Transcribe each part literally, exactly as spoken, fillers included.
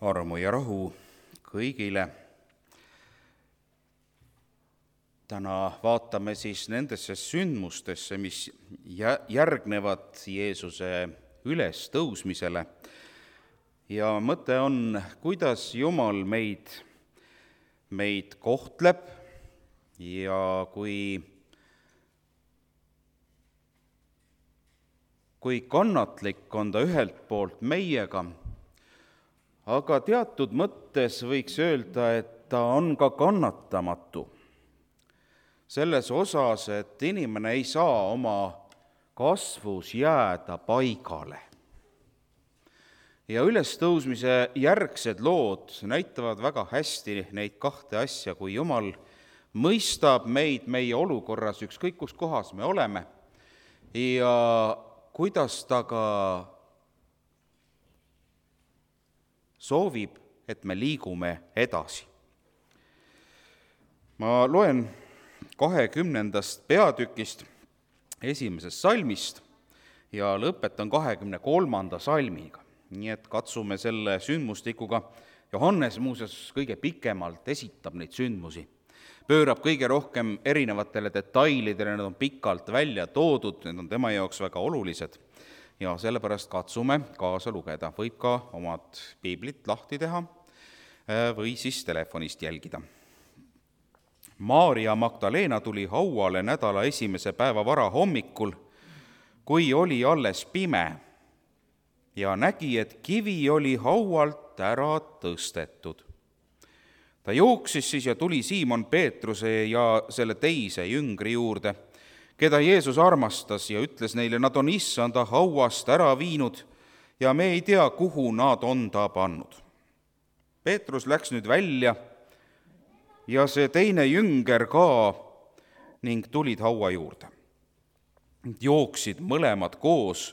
armu ja rahu kõigile. Täna vaatame siis nendesse sündmustesse, mis järgnevad Jeesuse ülestõusmisele. Ja mõte on, kuidas Jumal meid, meid kohtleb ja kui, kui kannatlik on ta ühelt poolt meiega, aga teatud mõttes võiks öelda, et ta on ka kannatamatu. Selles osas, et inimene ei saa oma kasvus jääda paigale. Ja ülestõusmise järgsed lood näitavad väga hästi neid kahte asja, kui Jumal mõistab meid meie olukorras, ükskõik kus kohas me oleme, ja kuidas ta ka soovib, et me liigume edasi. Ma loen kahekümnendast peatükist esimesest salmist ja lõpetan kahekümne kolmanda salmiga. Nii et katsume selle sündmustikuga. Johannes muuseas kõige pikemalt esitab neid sündmusi. Pöörab kõige rohkem erinevatele detailidele, need on pikalt välja toodud, need on tema jaoks väga olulised. Ja sellepärast katsume kaasa lugeda. Võib ka omad piiblit lahti teha või siis telefonist jälgida. Maarja Magdalena tuli hauale nädala esimese päeva vara hommikul, kui oli alles pime, ja nägi, et kivi oli haualt ära tõstetud. Ta jooksis siis ja tuli Siimon Peetruse ja selle teise jüngri juurde, keda Jeesus armastas, ja ütles neile, nad on issanda hauast ära viinud ja me ei tea, kuhu nad on ta pannud. Peetrus läks nüüd välja ja see teine jünger ka ning tulid haua juurde. Jooksid mõlemad koos,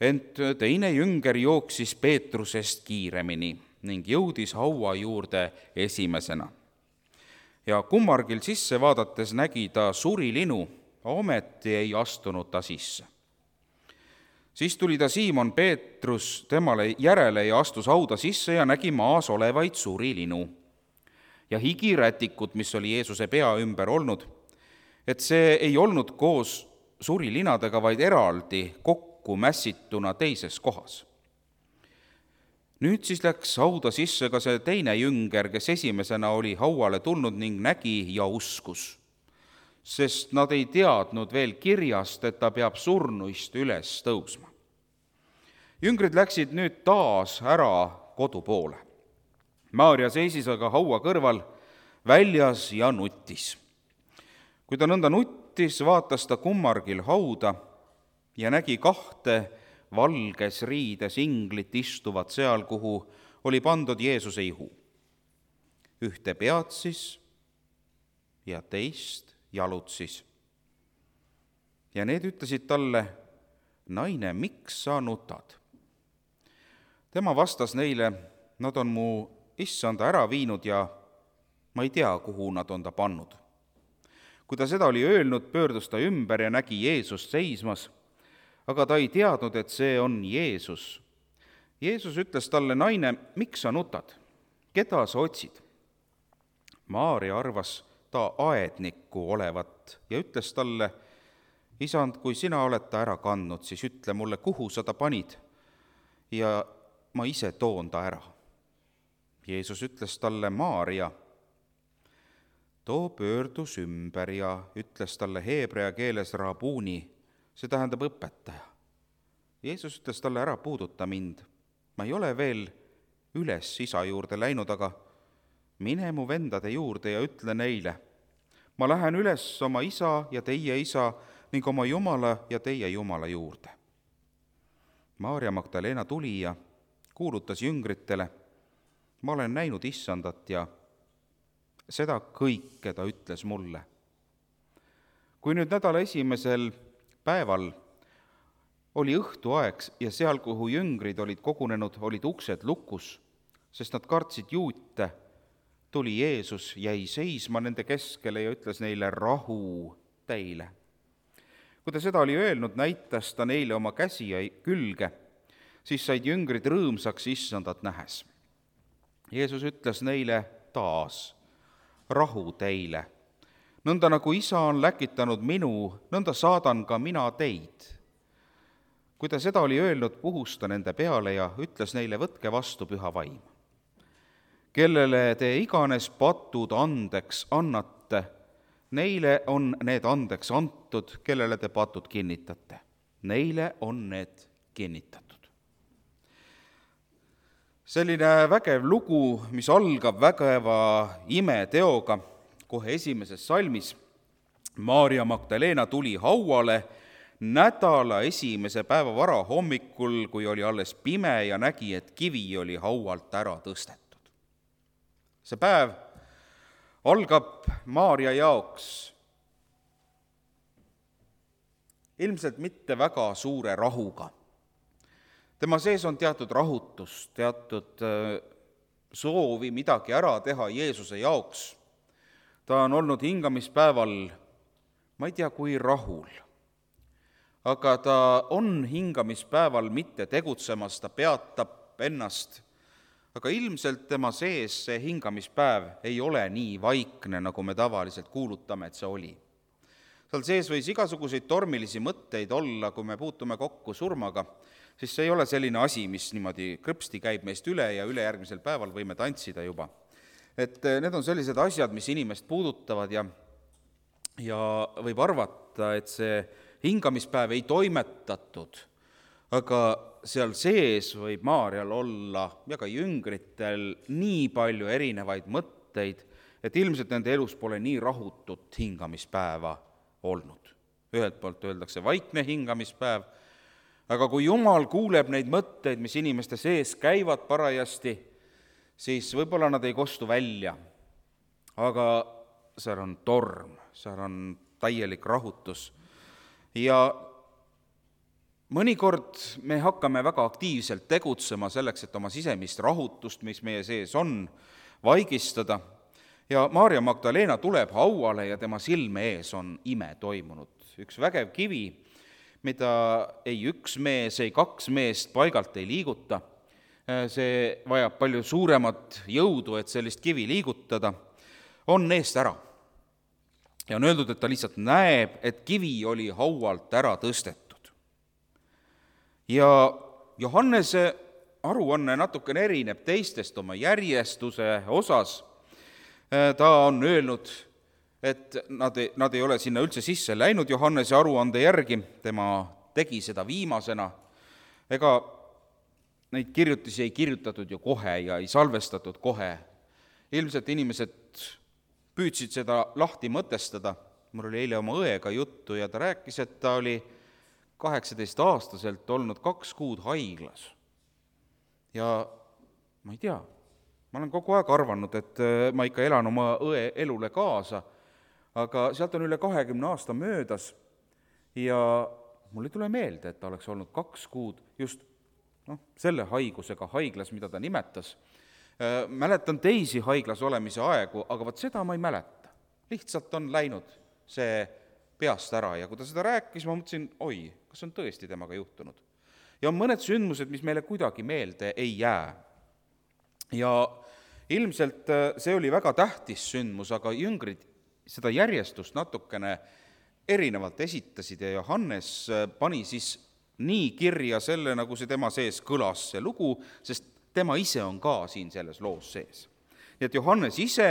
ent teine jünger jooksis Peetrusest kiiremini ning jõudis haua juurde esimesena. Ja kummargil sisse vaadates nägi ta surilinu, ometi ei astunud ta sisse. Siis tuli ta Siimon Peetrus temale järele ja astus hauda sisse ja nägi maas olevaid surilinu ja higirätikut, mis oli Jeesuse pea ümber olnud, et see ei olnud koos surilinadega, vaid eraldi kokku mässituna teises kohas. Nüüd siis läks hauda sisse ka see teine jünger, kes esimesena oli hauale tulnud ning nägi ja uskus, sest nad ei teadnud veel kirjast, et ta peab surnuist üles tõusma. Jüngrid läksid nüüd taas ära kodu poole. Maarja seisis aga haua kõrval väljas ja nuttis. Kui ta nõnda nuttis, vaatas ta kummargil hauda ja nägi kahte valges riides inglit istuvat seal, kuhu oli pandud Jeesuse ihu. Ühte peatsis ja teist jalutsis. Ja need ütlesid talle, naine, miks sa nutad? Tema vastas neile, nad on mu issanda ära viinud ja ma ei tea, kuhu nad on ta pannud. Kui ta seda oli öelnud, pöördus ta ümber ja nägi Jeesust seismas, aga ta ei teadnud, et see on Jeesus. Jeesus ütles talle, naine, miks sa nutad? Keda sa otsid? Maarja arvas ta aednikku olevat ja ütles talle, isand, kui sina oled ta ära kandnud, siis ütle mulle, kuhu sa ta panid ja ma ise toon ta ära. Jeesus ütles talle, Maarja. Too pöördus ümber ja ütles talle heebrea keeles rabuni, see tähendab õpetaja. Jeesus ütles talle, ära puuduta mind. Ma ei ole veel üles isa juurde läinud, aga mine mu vendade juurde ja ütle neile, ma lähen üles oma isa ja teie isa ning oma Jumala ja teie Jumala juurde. Maarja Magdalena tuli ja kuulutas jüngritele, ma olen näinud issandat ja seda kõike ta ütles mulle. Kui nüüd nädala esimesel päeval oli õhtuaeg ja seal, kuhu jüngrid olid kogunenud, olid uksed lukus, sest nad kartsid juute, tuli Jeesus, jäi seisma nende keskele ja ütles neile, rahu teile. Kui ta seda oli öelnud, näitas ta neile oma käsi ja külge, siis said jüngrid rõõmsaks issandat nähes. Jeesus ütles neile taas, rahu teile. Nõnda nagu isa on läkitanud minu, nõnda saadan ka mina teid. Kui ta seda oli öelnud, puhus ta nende peale ja ütles neile, võtke vastu püha vaim. Kellele te iganes patud andeks annate, neile on need andeks antud, kellele te patud kinnitate. Neile on need kinnitatud. Selline vägev lugu, mis algab vägeva imeteoga kohe esimeses salmis. Maarja Magdalena tuli hauale nädala esimese päeva varahommikul, kui oli alles pime ja nägi, et kivi oli haualt ära tõstetud. See päev algab Maarja jaoks ilmselt mitte väga suure rahuga. Tema sees on teatud rahutus, teatud soovi midagi ära teha Jeesuse jaoks. Ta on olnud hingamispäeval, ma ei tea, kui rahul, aga ta on hingamispäeval mitte tegutsemas, ta peatab ennast, aga ilmselt tema sees see hingamispäev ei ole nii vaikne, nagu me tavaliselt kuulutame, et see oli. Seal sees võis igasuguseid tormilisi mõtteid olla, kui me puutume kokku surmaga, siis see ei ole selline asi, mis niimoodi krõpsti käib meist üle ja ülejärgmisel päeval võime tantsida juba. Et need on sellised asjad, mis inimest puudutavad ja, ja võib arvata, et see hingamispäev ei toimetatud, aga seal sees võib Maarjal olla ja ka jüngritel nii palju erinevaid mõtteid, et ilmselt nende elus pole nii rahutut hingamispäeva olnud. Ühelt poolt öeldakse vaikne hingamispäev, aga kui Jumal kuuleb neid mõtteid, mis inimeste sees käivad parajasti, siis võib-olla nad ei kostu välja, aga seal on torm, seal on täielik rahutus. Ja mõnikord me hakkame väga aktiivselt tegutsema selleks, et oma sisemist rahutust, mis meie sees on, vaigistada. Ja Maarja Magdalena tuleb hauale ja tema silme ees on ime toimunud. Üks vägev kivi, mida ei üks mees, ei kaks meest paigalt ei liiguta. See vajab palju suuremat jõudu, et sellist kivi liigutada, on eest ära. Ja on öeldud, et ta lihtsalt näeb, et kivi oli haualt ära tõstetud. Ja Johannese aruanne natukene erineb teistest oma järjestuse osas. Ta on öelnud, et nad ei, nad ei ole sinna üldse sisse läinud Johannese aruande järgi, tema tegi seda viimasena. Ega neid kirjutisi ei kirjutatud ju kohe ja ei salvestatud kohe. Ilmselt inimesed püüdsid seda lahti mõtestada. Mul oli eile oma õega juttu ja ta rääkis, et ta oli kaheksateist-aastaselt olnud kaks kuud haiglas. Ja ma ei tea, ma olen kogu aeg arvanud, et ma ikka elan oma õe elule kaasa, aga sealt on üle kahekümne aasta möödas ja mul ei tule meelde, et ta oleks olnud kaks kuud just no, selle haigusega haiglas, mida ta nimetas. Mäletan teisi haiglas olemise aegu, aga vaat seda ma ei mäleta. Lihtsalt on läinud see peast ära ja kui ta seda rääkis, ma mõtlesin, oi, kas on tõesti temaga juhtunud. Ja on mõned sündmused, mis meile kuidagi meelde ei jää. Ja ilmselt see oli väga tähtis sündmus, aga jüngrid seda järjestust natukene erinevalt esitasid ja Johannes pani siis nii kirja selle, nagu see tema sees kõlas see lugu, sest tema ise on ka siin selles loos sees. Nii et Johannes ise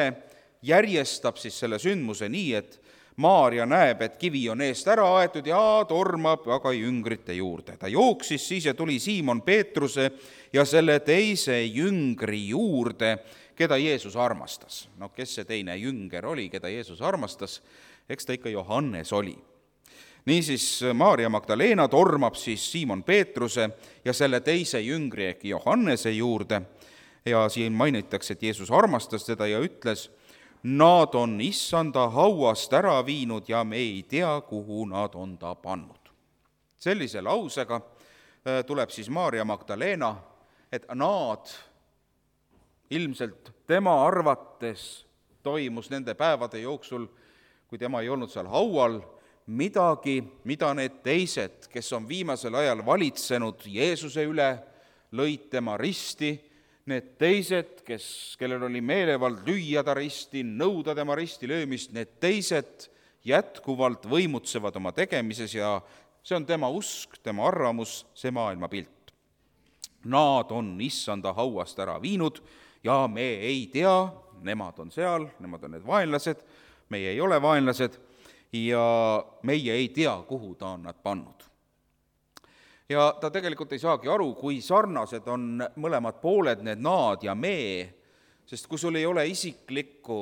järjestab siis selle sündmuse nii, et Maarja näeb, et kivi on eest ära aetud ja tormab aga jüngrite juurde. Ta jooksis siis ja tuli Siimon Peetruse ja selle teise jüngri juurde, keda Jeesus armastas. No kes see teine jünger oli, keda Jeesus armastas? Eks ta ikka Johannes oli. Niisiis Maarja Magdalena tormab siis Siimon Peetruse ja selle teise jüngri ehk Johannese juurde ja siin mainitakse, et Jeesus armastas teda ja ütles, nad on issanda hauast ära viinud ja me ei tea, kuhu nad on ta pannud. Sellise lausega tuleb siis Maarja Magdalena, et nad ilmselt tema arvates toimus nende päevade jooksul, kui tema ei olnud seal haual, midagi, mida need teised, kes on viimasel ajal valitsenud Jeesuse üle, lõid tema risti, need teised, kes, kellel oli meelevald lüüa ta risti, nõuda tema risti löömist, need teised jätkuvalt võimutsevad oma tegemises ja see on tema usk, tema arvamus, see maailmapilt. Nad on issanda hauast ära viinud ja me ei tea, nemad on seal, nemad on need vaenlased, meie ei ole vaenlased ja meie ei tea, kuhu ta on nad pannud. Ja ta tegelikult ei saagi aru, kui sarnased on mõlemad pooled, need nad ja me, sest kui sul ei ole isiklikku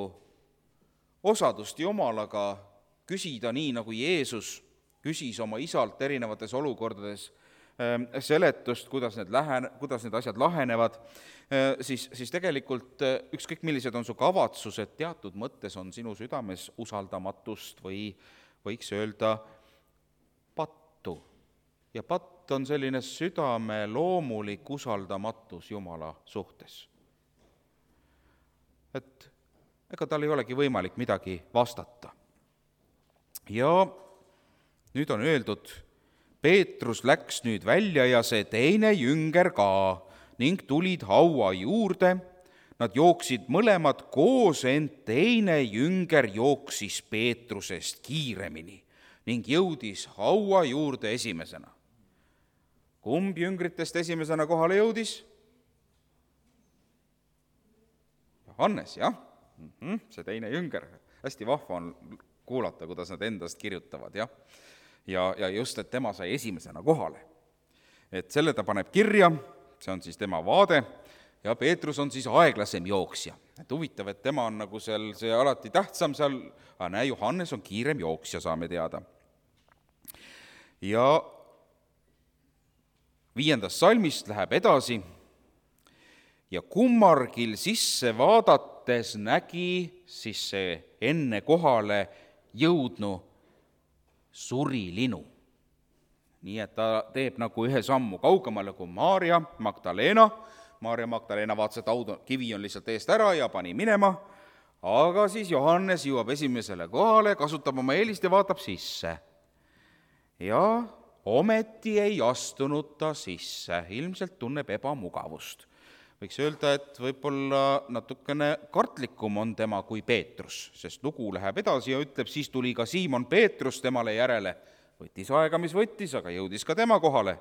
osadust Jumalaga küsida nii, nagu Jeesus küsis oma isalt erinevates olukordades seletust, kuidas need, lähen, kuidas need asjad lahenevad, siis, siis tegelikult ükskõik millised on su kavatsused, teatud mõttes on sinu südames usaldamatust või võiks öelda pattu. Ja patt on selline südame loomulik usaldamatus Jumala suhtes. Et ega tal ei olegi võimalik midagi vastata. Ja nüüd on öeldud, Peetrus läks nüüd välja ja see teine jünger ka ning tulid haua juurde. Nad jooksid mõlemad koos, ent teine jünger jooksis Peetrusest kiiremini ning jõudis haua juurde esimesena. Kumb jüngritest esimesena kohale jõudis? Johannes, jah. Mm-hmm, see teine jünger. Hästi vahva on kuulata, kuidas nad endast kirjutavad, jah. Ja, ja just, et tema sai esimesena kohale. Et selle ta paneb kirja, see on siis tema vaade, ja Peetrus on siis aeglasem jooksja. Et huvitav, et tema on nagu seal, see alati tähtsam seal, aga näe, Johannes on kiirem jooksja, saame teada. Ja viiendast salmist läheb edasi ja kummargil sisse vaadates nägi siis see enne kohale jõudnu surilinu. Nii et ta teeb nagu ühe sammu kaugemale kui Maarja Magdalena. Maarja Magdalena vaatas, et aud, kivi on lihtsalt eest ära ja pani minema, aga siis Johannes jõuab esimesele kohale, kasutab oma eelist ja vaatab sisse. Ja ometi ei astunud ta sisse, ilmselt tunneb ebamugavust. Võiks öelda, et võib-olla natukene kartlikum on tema kui Peetrus, sest lugu läheb edasi ja ütleb, siis tuli ka Siimon Peetrus temale järele. Võttis aega, mis võttis, aga jõudis ka tema kohale.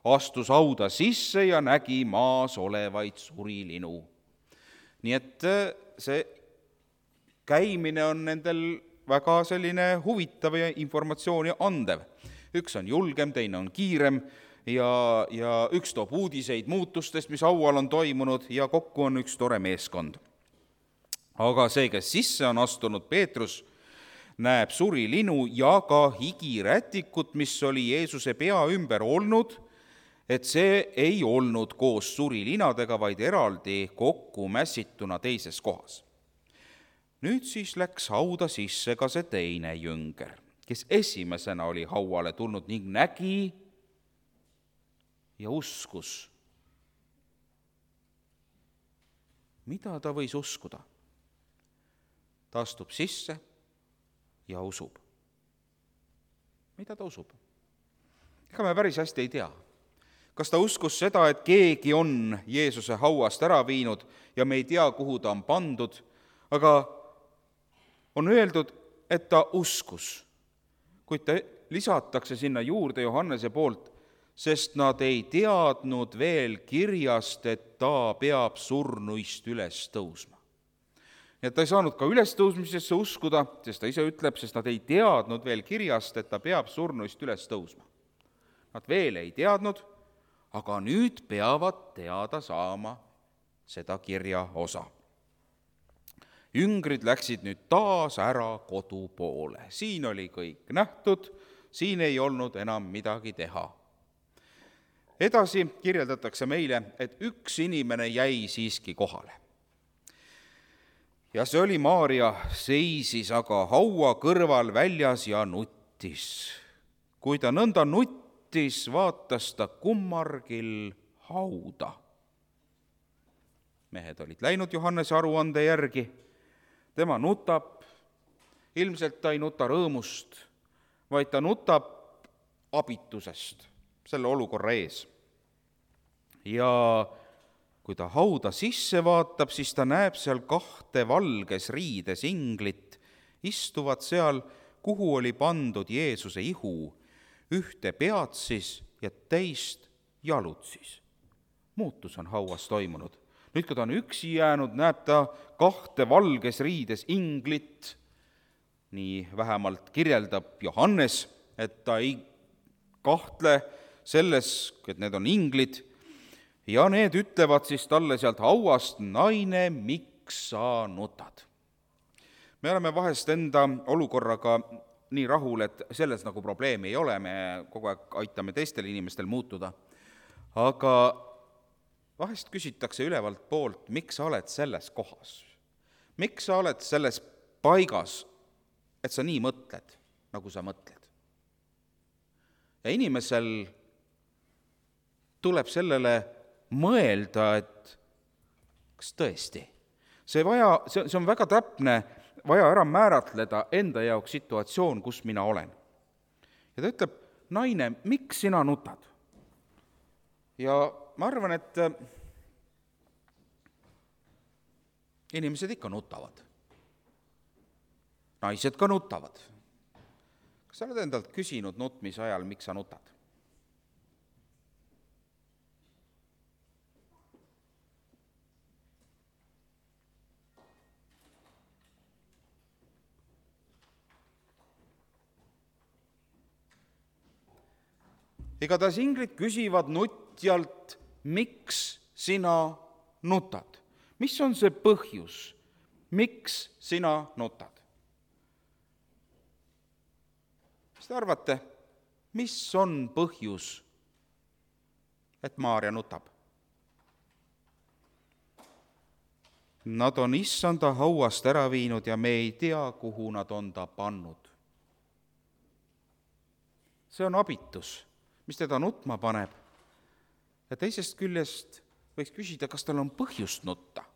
Astus hauda sisse ja nägi maas olevaid surilinu. Nii et see käimine on nendel väga selline huvitav ja informatsiooni andev. Üks on julgem, teine on kiirem ja, ja üks toob uudiseid muutustest, mis haual on toimunud ja kokku on üks tore meeskond. Aga see, kes sisse on astunud, Peetrus, näeb surilinu ja ka higirätikut, mis oli Jeesuse pea ümber olnud, et see ei olnud koos surilinadega, vaid eraldi kokku mässituna teises kohas. Nüüd siis läks hauda sisse ka see teine jünger, kes esimesena oli hauale tulnud ning nägi ja uskus. Mida ta võis uskuda? Ta astub sisse ja usub. Mida ta usub? Ega me päris hästi ei tea. Kas ta uskus seda, et keegi on Jeesuse hauast ära viinud ja me ei tea, kuhu ta on pandud, aga on öeldud, et ta uskus. Kuid ta lisatakse sinna juurde Johannese poolt, sest nad ei teadnud veel kirjast, et ta peab surnuist üles tõusma. Ja ta ei saanud ka ülestõusmisesse uskuda, sest ta ise ütleb, sest nad ei teadnud veel kirjast, et ta peab surnuist üles tõusma. Nad veel ei teadnud, aga nüüd peavad teada saama seda kirja osa. Jüngrid läksid nüüd taas ära kodu poole. Siin oli kõik nähtud, siin ei olnud enam midagi teha. Edasi kirjeldatakse meile, et üks inimene jäi siiski kohale. Ja see oli Maarja, seisis aga haua kõrval väljas ja nuttis. Kui ta nõnda nuttis, vaatas ta kummargil hauda. Mehed olid läinud Johannese aruande järgi. Tema nutab, ilmselt ta ei nuta rõõmust, vaid ta nutab abitusest selle olukorra ees. Ja kui ta hauda sisse vaatab, siis ta näeb seal kahte valges riides inglit, istuvad seal, kuhu oli pandud Jeesuse ihu, ühte peatsis ja teist jalutsis. Muutus on hauas toimunud. Nüüd, kui ta on üksi jäänud, näeb ta kahte valges riides inglit. Nii vähemalt kirjeldab Johannes, et ta ei kahtle selles, et need on inglid, ja need ütlevad siis talle sealt hauast, naine, miks sa nutad? Me oleme vahest enda olukorraga nii rahul, et selles nagu probleemi ei ole, me kogu aeg aitame teistel inimestel muutuda, aga vahest küsitakse ülevalt poolt, miks sa oled selles kohas? Miks sa oled selles paigas, et sa nii mõtled, nagu sa mõtled? Ja inimesel tuleb sellele mõelda, et kas tõesti, see, vaja, see, see on väga täpne, vaja ära määratleda enda jaoks situatsioon, kus mina olen. Ja ta ütleb, naine, miks sina nutad? Ja ma arvan, et inimesed ikka nutavad. Naised ka nutavad. Kas sa oled endalt küsinud nutmise ajal, miks sa nutad? Igatahes inglid küsivad nutjalt, miks sina nutad? Mis on see põhjus, miks sina nutad? Mis te arvate, mis on põhjus, et Maarja nutab? Nad on issanda hauast ära viinud ja me ei tea, kuhu nad on ta pannud. See on abitus, mis teda nutma paneb. Ja teisest küljest võiks küsida, kas tal on põhjust nutta.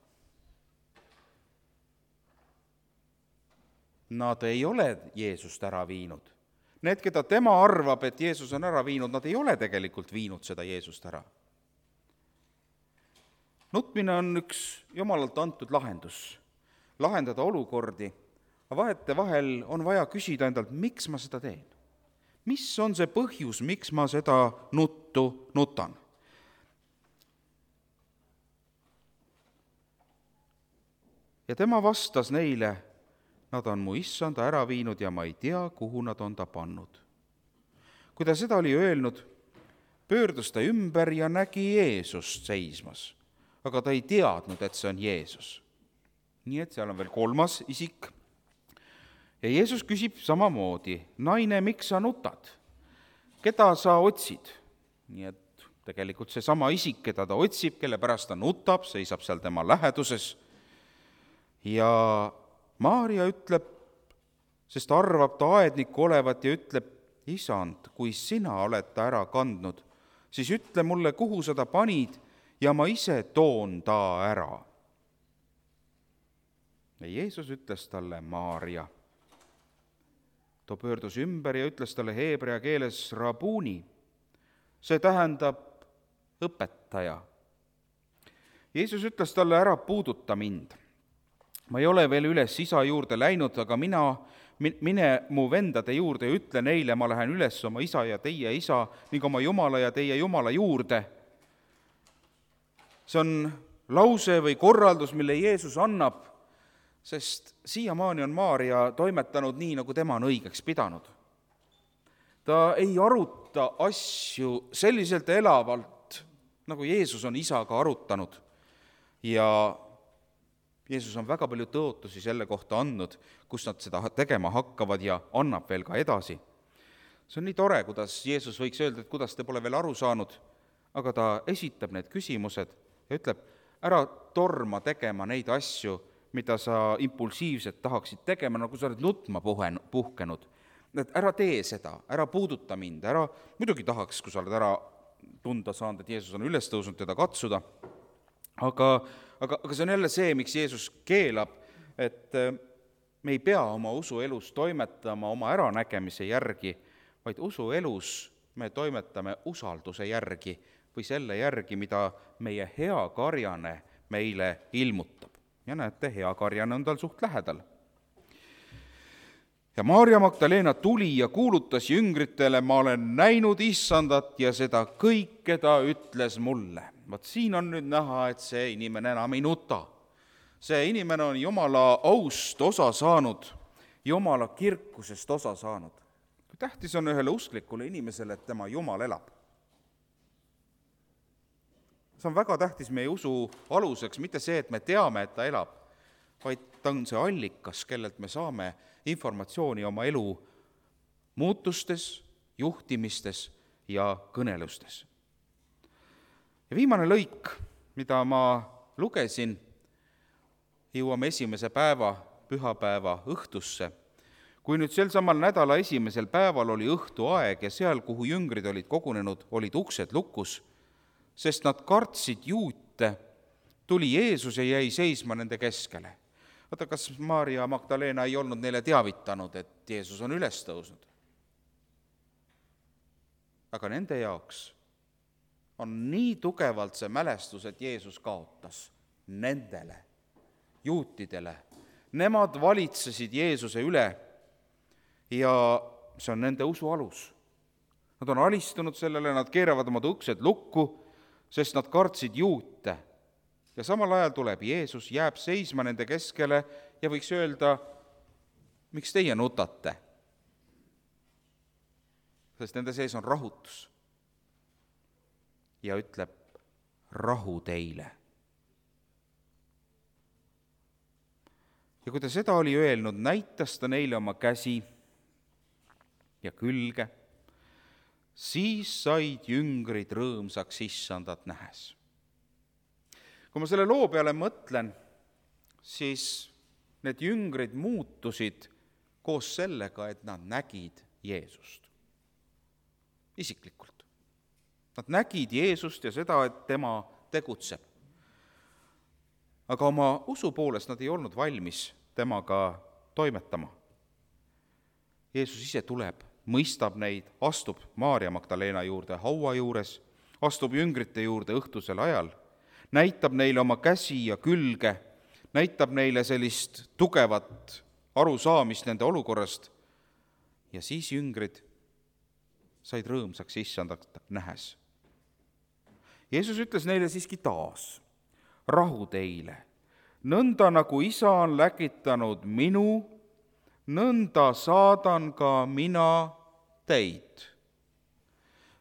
Nad ei ole Jeesust ära viinud. Need, keda tema arvab, et Jeesus on ära viinud, nad ei ole tegelikult viinud seda Jeesust ära. Nutmine on üks Jumalalt antud lahendus, lahendada olukordi, aga vahete vahel on vaja küsida endalt, miks ma seda teen? Mis on see põhjus, miks ma seda nuttu nutan? Ja tema vastas neile, nad on mu issanda ära viinud ja ma ei tea, kuhu nad on ta pannud. Kui ta seda oli öelnud, pöördus ta ümber ja nägi Jeesust seismas, aga ta ei teadnud, et see on Jeesus. Nii et seal on veel kolmas isik. Ja Jeesus küsib samamoodi, naine, miks sa nutad? Keda sa otsid? Nii et tegelikult see sama isik, keda ta otsib, kelle pärast ta nutab, seisab seal tema läheduses. Ja Maarja ütleb, sest arvab ta aednikku olevat ja ütleb, isand, kui sina oled ta ära kandnud, siis ütle mulle, kuhu sa ta panid ja ma ise toon ta ära. Ja Jeesus ütles talle, Maarja. Ta pöördus ümber ja ütles talle heebrea keeles rabuni. See tähendab õpetaja. Jeesus ütles talle, ära puuduta mind. Ma ei ole veel üles isa juurde läinud, aga mina, mine mu vendade juurde ja ütle neile, ma lähen üles oma isa ja teie isa ning oma Jumala ja teie Jumala juurde. See on lause või korraldus, mille Jeesus annab, sest siiamaani on Maarja toimetanud nii, nagu tema on õigeks pidanud. Ta ei aruta asju selliselt elavalt, nagu Jeesus on isaga arutanud. Ja Jeesus on väga palju tõotusi selle kohta andnud, kus nad seda tegema hakkavad ja annab veel ka edasi. See on nii tore, kuidas Jeesus võiks öelda, et kuidas te pole veel aru saanud, aga ta esitab need küsimused ja ütleb, ära torma tegema neid asju, mida sa impulsiivselt tahaksid tegema, nagu sa oled nutma puhkenud. Et ära tee seda, ära puuduta mind, ära, muidugi tahaks, kui sa oled ära tunda saanud, et Jeesus on üles tõusnud teda katsuda, aga, aga, aga see on jälle see, miks Jeesus keelab, et me ei pea oma usuelus toimetama oma äranägemise järgi, vaid usuelus me toimetame usalduse järgi, või selle järgi, mida meie hea karjane meile ilmutab. Ja näete, hea karjane on tal suht lähedal. Ja Maarja Magdalena tuli ja kuulutas jüngritele, ma olen näinud issandat ja seda kõike ta ütles mulle. Vaat siin on nüüd näha, et see inimene enam ei nuta. See inimene on Jumala aust osa saanud, Jumala kirkusest osa saanud. Tähtis on ühele usklikule inimesele, et tema Jumal elab. See on väga tähtis meie usu aluseks, mitte see, et me teame, et ta elab, vaid ta on see allikas, kellelt me saame informatsiooni oma elu muutustes, juhtimistes ja kõnelustes. Ja viimane lõik, mida ma lugesin, jõuame esimese päeva, pühapäeva õhtusse. Kui nüüd sel samal nädala esimesel päeval oli õhtuaeg ja seal, kuhu jüngrid olid kogunenud, olid uksed lukus, sest nad kartsid juute, tuli Jeesus ja jäi seisma nende keskele. Vaata, kas Maarja Magdalena ei olnud neile teavitanud, et Jeesus on üles tõusnud? Aga nende jaoks on nii tugevalt see mälestus, et Jeesus kaotas nendele, juutidele. Nemad valitsesid Jeesuse üle ja see on nende usu alus. Nad on alistunud sellele, nad keeravad oma uksed lukku, sest nad kartsid juute. Ja samal ajal tuleb Jeesus, jääb seisma nende keskele ja võiks öelda, miks teie nutate? Sest nende sees on rahutus. Ja ütleb, rahu teile. Ja kui ta seda oli öelnud, näitas ta neile oma käsi ja külge, siis said jüngrid rõõmsaks issandat nähes. Kui ma selle loo peale mõtlen, siis need jüngrid muutusid koos sellega, et nad nägid Jeesust. Isiklikult. Nad nägid Jeesust ja seda, et tema tegutseb. Aga oma usu poolest nad ei olnud valmis temaga toimetama. Jeesus ise tuleb, mõistab neid, astub Maarja Magdalena juurde haua juures, astub jüngrite juurde õhtusel ajal, näitab neile oma käsi ja külge, näitab neile sellist tugevat arusaamist nende olukorrast ja siis jüngrid said rõõmsaks issandat nähes. Jeesus ütles neile siiski taas, rahu teile, nõnda nagu isa on läkitanud minu, nõnda saadan ka mina teid.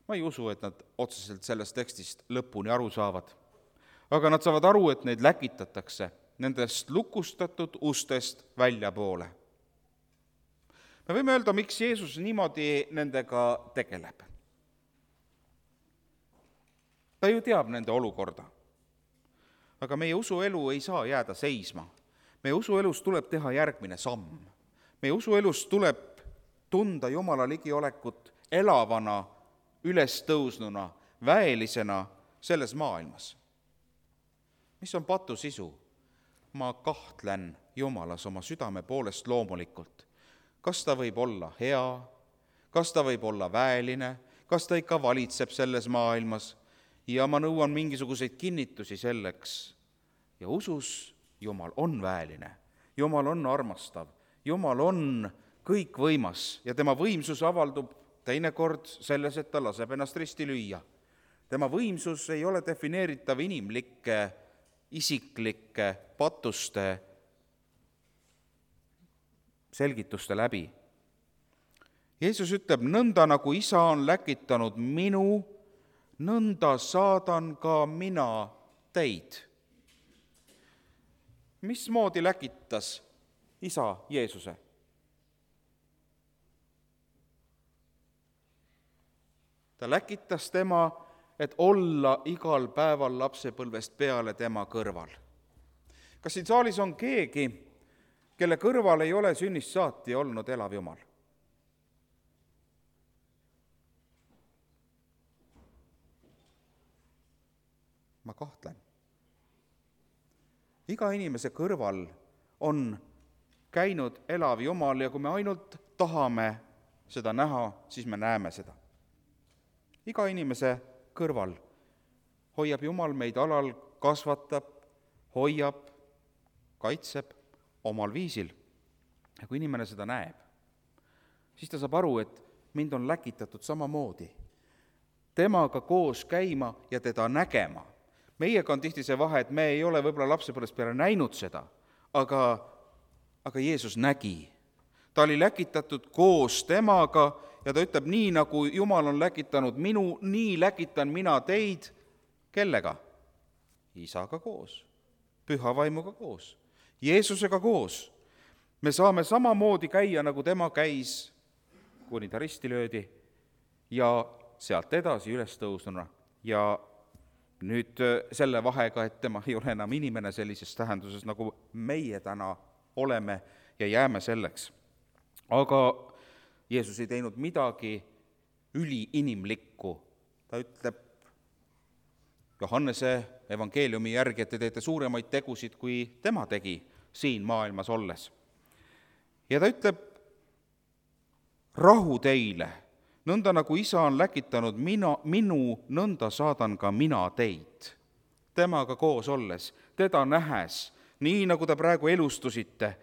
Ma ei usu, et nad otseselt sellest tekstist lõpuni aru saavad, aga nad saavad aru, et neid läkitatakse nendest lukustatud ustest väljapoole. Me võime öelda, miks Jeesus niimoodi nendega tegeleb. Ta ju teab nende olukorda. Aga meie usuelu ei saa jääda seisma. Meie usuelus tuleb teha järgmine samm. Meie usuelus tuleb tunda Jumala ligiolekut elavana, ülestõusnuna, väelisena selles maailmas. Mis on patu sisu? Ma kahtlen Jumalas oma südame poolest loomulikult. Kas ta võib olla hea? Kas ta võib olla väeline? Kas ta ikka valitseb selles maailmas? Ja ma nõuan mingisuguseid kinnitusi selleks. Ja usus Jumal on väeline. Jumal on armastav. Jumal on kõikvõimas ja tema võimsus avaldub teinekord selles, et ta laseb ennast risti lüüa. Tema võimsus ei ole defineeritav inimlike, isiklike patuste selgituste läbi. Jeesus ütleb, nõnda nagu isa on läkitanud minu, nõnda saadan ka mina teid. Mismoodi läkitas isa Jeesuse? Ta läkitas tema, et olla igal päeval lapsepõlvest peale tema kõrval. Kas siin saalis on keegi, kelle kõrval ei ole sünnist saati olnud elav Jumal? Ma kahtlen. Iga inimese kõrval on käinud elav Jumal ja kui me ainult tahame seda näha, siis me näeme seda. Iga inimese kõrval hoiab Jumal meid alal, kasvatab, hoiab, kaitseb omal viisil. Ja kui inimene seda näeb, siis ta saab aru, et mind on läkitatud samamoodi. Temaga koos käima ja teda nägema. Meiega on tihti see vahe, et me ei ole võib-olla lapsepõlvest peale näinud seda, aga, aga Jeesus nägi. Ta oli läkitatud koos temaga ja ta ütleb, nii nagu Jumal on läkitanud minu, nii läkitan mina teid. Kellega? Isaga koos, püha vaimuga koos, Jeesusega koos. Me saame samamoodi käia, nagu tema käis, kuni ta risti löödi ja sealt edasi üles tõusnuna. Ja nüüd selle vahega, et tema ei ole enam inimene sellises tähenduses, nagu meie täna oleme ja jääme selleks. Aga Jeesus ei teinud midagi üliinimlikku. Ta ütleb Johannese evangeeliumi järgi, et te teete suuremaid tegusid, kui tema tegi siin maailmas olles. Ja ta ütleb, rahu teile, nõnda nagu isa on läkitanud mina, minu, nõnda saadan ka mina teid. Temaga koos olles, teda nähes, nii nagu te praegu elustusite.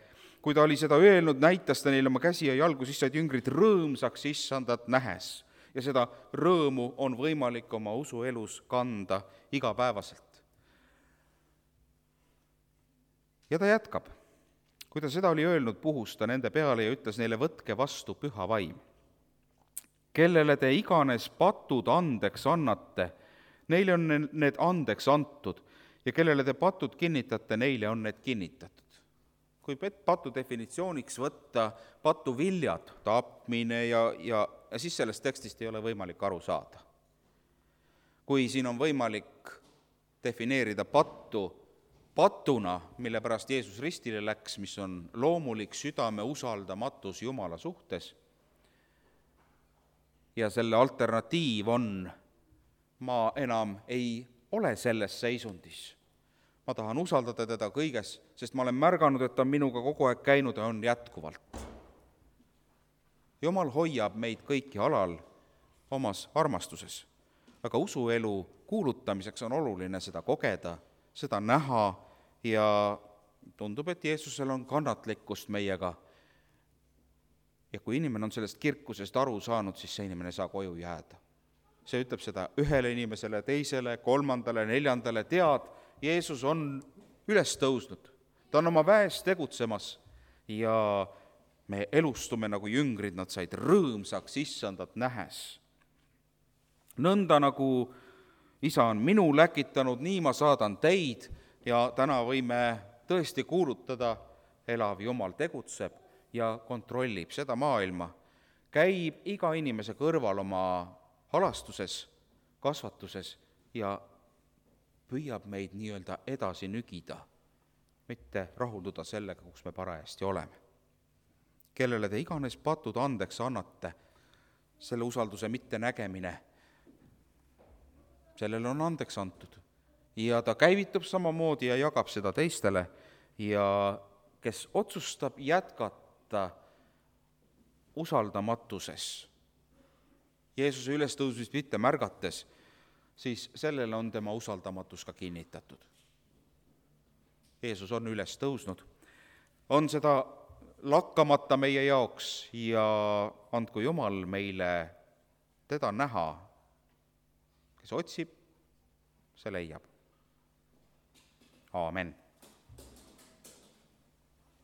Kui ta oli seda öelnud, näitas ta neile oma käsi ja jalgu, siis said jüngrid rõõmsaks issandat nähes. Ja seda rõõmu on võimalik oma usuelus kanda igapäevaselt. Ja ta jätkab. Kui ta seda oli öelnud, puhus ta nende peale ja ütles neile, võtke vastu püha vaim. Kellele te iganes patud andeks annate, neile on need andeks antud ja kellele te patud kinnitate, neile on need kinnitatud. Kui patu definitsiooniks võtta patu viljad, tapmine ja, ja, ja siis sellest tekstist ei ole võimalik aru saada. Kui siin on võimalik defineerida pattu patuna, mille pärast Jeesus ristile läks, mis on loomulik südame usaldamatus Jumala suhtes, ja selle alternatiiv on, ma enam ei ole selles seisundis. Ma tahan usaldada teda kõiges, sest ma olen märganud, et ta on minuga kogu aeg käinud ja on jätkuvalt. Jumal hoiab meid kõiki alal omas armastuses, aga usuelu kuulutamiseks on oluline seda kogeda, seda näha ja tundub, et Jeesusel on kannatlikkust meiega. Ja kui inimene on sellest kirkusest aru saanud, siis see inimene saa koju jääda. See ütleb seda ühele inimesele, teisele, kolmandale, neljandale, tead, Jeesus on üles tõusnud. Ta on oma väes tegutsemas ja me elustume nagu jüngrid, nad said rõõmsaks issandat nähes. Nõnda nagu isa on minu läkitanud, nii ma saadan teid ja täna võime tõesti kuulutada, elav Jumal tegutseb ja kontrollib seda maailma. Käib iga inimese kõrval oma halastuses, kasvatuses ja püüab meid nii-öelda edasi nügida, mitte rahulduda sellega, kus me parajasti oleme. Kellele te iganes patud andeks annate, selle usalduse mitte nägemine, sellele on andeks antud. Ja ta käivitub samamoodi ja jagab seda teistele ja kes otsustab jätkata usaldamatuses, Jeesuse ülestõusmist mitte märgates, siis sellele on tema usaldamatus ka kinnitatud. Jeesus on üles tõusnud, on seda lakkamata meie jaoks ja andku Jumal meile teda näha. Kes otsib, see leiab. Aamen.